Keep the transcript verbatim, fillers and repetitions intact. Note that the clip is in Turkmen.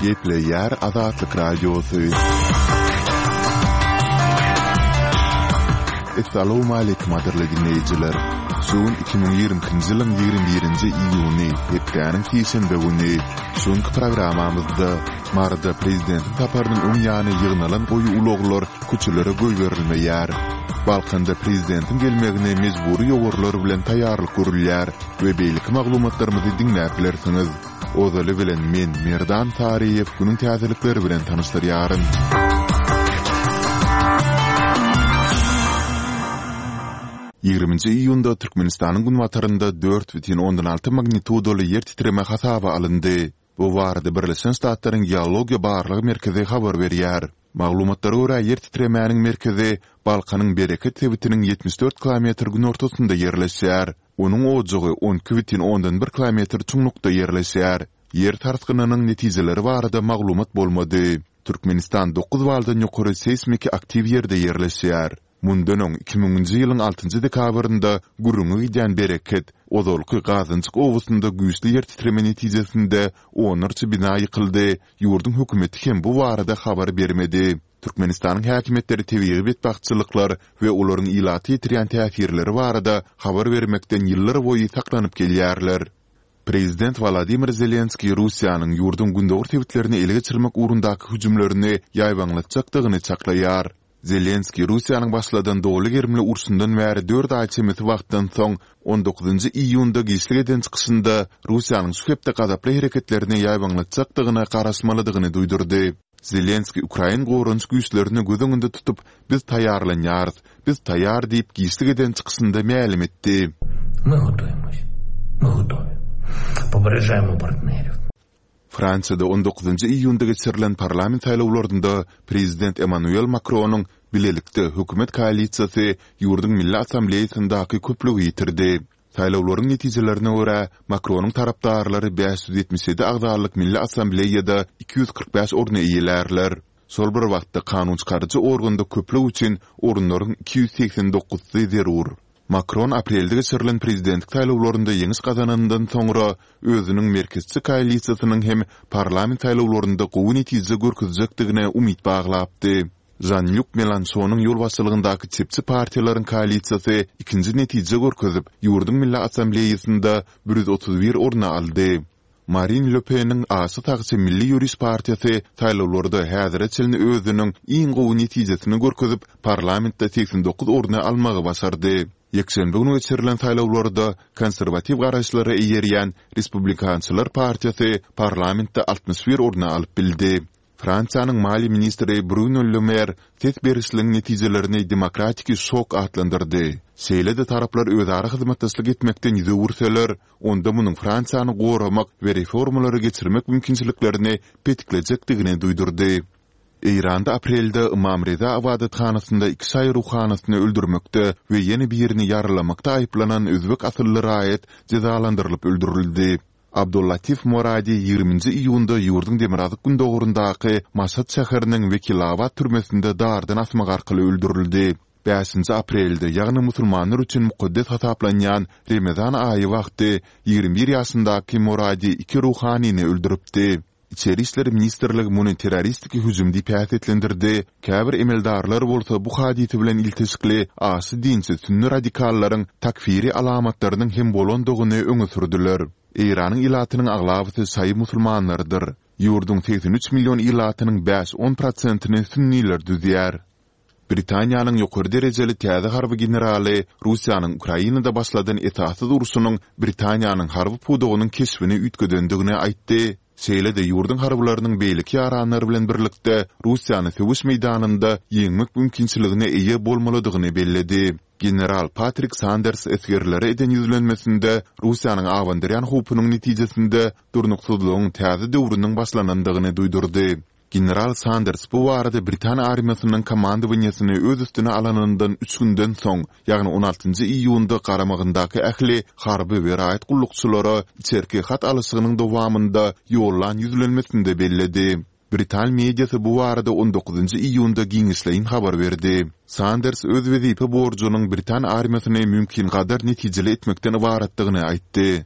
Gepleýär Azatlyk Radiosy. Essalawmaleýkim gadyrly diňleýjiler! Şu gün iki müň ýigrimi ikinji ýylyň ýigrimi birinji iýuny, hepdäniň sişenbe güni. Şu günki programmamyzda Maryda prezidentiň saparynyň öň ýany ýygnalan goýy ulaglar köçelere goýberilmeýär. Balkanda prezidentiň gelmegine mejbury ýowarlar bilen taýýarlyk görülýär we beýleki maglumatlarymyzy diňläp bilersiňiz. Ozaly bilen men, Merdan Saryýew günüň täzelikleri bilen tanyşdyrýaryn. Ýigriminji iýunda Türkmenistanyň günbatarynda dört bütin ondan alty magnitudaly ýer titreme hasaba alyndy. Bu barada Birleşen Ştatlaryň Geologiýa barlag merkezi habar berýär. Maglumatlara görä, ýer titremäniň merkezi Balkanyň Bereket sebitiniň ýetmiş dört kilometr günortasynda ýerleşýär. Onuň ojagy on iki bütin ondan bir kilometr çuňlukda ýerleşýär. Ýer sarsgynynyň netijeleri barada maglumat bolmady. Türkmenistan dokuz baldan ýokary seýsmiki aktiw ýerde ýerleşýär. Mundan öň, iki müňünji ýylyň altynjy dekabrynda gürrüňi gidýän Bereket, ozalky Gazynjyk obasynda güýçli ýer titreme netijesinde onlarça bina ýykyldy, ýurduň hökümeti hem bu barada habar bermedi. Türkmenistanyň häkimiýetleri tebigy betbagtçylyklar we olaryň ilata ýetirýän täsirleri barada habar bermekden ýyllarboýy saklanyp gelýärler. Prezident Wolodymyr Zelenskiý Russiýanyň ýurduň gündogar sebitlerini ele geçirmek ugrundaky hüjümlerini ýaýbaňlatjakdygyny çaklaýar. Zelenskiý Russiýanyň başladan doly gerimli urşundan bäri dört aý çemesi wagtdan soň, on dokuzynjy iýunda giçlik eden çykyşynda Russiýanyň şu hepde gazaply hereketlerini ýaýbaňlatjakdygyna garaşmalydygyny duýdurdy. Zelenskiý ukrain goranyş güýçlerini göz öňünde tutup, biz taýýarlanýarys, biz taýýar diýip giçlik eden çykyşynda mälim etdi. My gotoýmos. My gotowy. Poperežaýmo partnerýow. Fransiýada on dokuzynjy iýunda geçirilen parlament saýlawlarynda prezident Emmanuel Makronyň Bilelikde hökümet koalisiýasy ýurduň Milli Assambleýasyndaky köplügi ýitirdi. Saýlawlaryň netijelerine görä, Makronyň tarapdarlary bäş ýüz ýetmiş ýedi agzalyk Milli Assambleýada iki ýüz kyrk bäş orny eýelärler. Şol bir wagtda kanunçykaryjy organda köplük üçin orunlaryň iki ýüz segsen dokuzsy zerur. Makron aprelde geçirilen prezidentlik saýlawlarynda ýeňiş gazananyndan soňra, özüniň merkezçi koalisiýasynyň hem parlament saýlawlarynda gowy netije görkezjekdigine umyt baglapdy. Žan-Lýuk Melanşonyň ýolbaşçylygyndaky çepçi partiýalaryň koalisiýasy ikinji netije görkezip, ýurduň Milli Assambleýasynda bir ýüz otuz bir orny aldy. Marin Le Peniň aşa sagçy Milli ýöriş partiýasy saýlawlarda häzire çenli özüniň iň gowy netijesini görkezip, parlamentde segsen dokuz orny almagy başardy. Ýekşenbe güni geçirilen saýlawlarda konserwatiw garaýyşlara eýerýän Respublikançylar partiýasy parlamentde altmyş bir orny alyp bildi. Fransiýanyň maliýe ministri Bruno Le Mer ses berişligiň netijelerini demokratiki şok atlandyrdy. Şeýle-de taraplar özara hyzmatdaşlyk etmekden ýüz öwürseler, onda munuň Fransiýany goramak we reformalary geçirmek mümkinçiliklerini petiklejekdigini duýdurdy. Eýranda aprelde Ymam Reza ybadathanasynda iki şaýy ruhanysyny öldürmekde we ýene birini ýaralamakda aýyplanan özbek asylly raýat jezalandyrylyp öldürildi. Abdullatif Moradi ýigriminji iýunda ýurduň demirgazyk-gündogaryndaky Maşat şäheriniň Wekilabad türmesinde dardan asmak arkaly öldürildi. Bäşinji aprelde, ýagny musulmanlar üçin mukaddes hasaplanýan Remezan aýy wagty ýigrimi bir ýaşyndaky Moradi iki ruhanyny öldüripdi. Içeri işler ministrligi muny terroristiki hüjüm diýip häsiýetlendirdi, käbir emeldarlar bolsa bu hadysa bilen ilteşikli aşa dinçi sünni radikallaryň takfiri alamatlarynyň hem bolandygyny öňe sürdüler. Eýranyň ilatynyň aglabasy şaýy musulmanlarydyr. Ýurduň segsen üç million ilatynyň bäş-on prosentini sünniler düzýär. Britaniýanyň ýokary derejeli täze harby generaly Russiýanyň Ukrainada başladan esassyz urşunyň Britaniýanyň harby pudagynyň keşbini üýtgedendigini aýtdy, şeýle-de ýurduň harbylarynyň beýleki ýaranlar bilen birlikde Russiýany söweş meýdanynda ýeňmek mümkinçiligine eýe bolmalydygyny belledi. General Patrik Sanders esgerlere eden ýüzlenmesinde Russiýanyň abandyrýan howpunyň netijesinde durnuksyzlygyň täze döwrüniň başlanandygyny duýdurdy. General Sanders bu barada britan armiýasynyň komandowaniýesini öz üstüne alanyndan üç günden soň, ýagny on altynjy iýunda garamagyndaky ähli harby we raýat gullukçylara içerki hat alyşygynyň dowamynda ýollan ýüzlenmesinde belledi. Britan mediasy bu barada on dokuzynjy iýunda giňişleýin habar berdi. Sanders öz wezipe borjunyň britan armiýasyny mümkingadar netijeli etmekden ybaratdygyny aýtdy.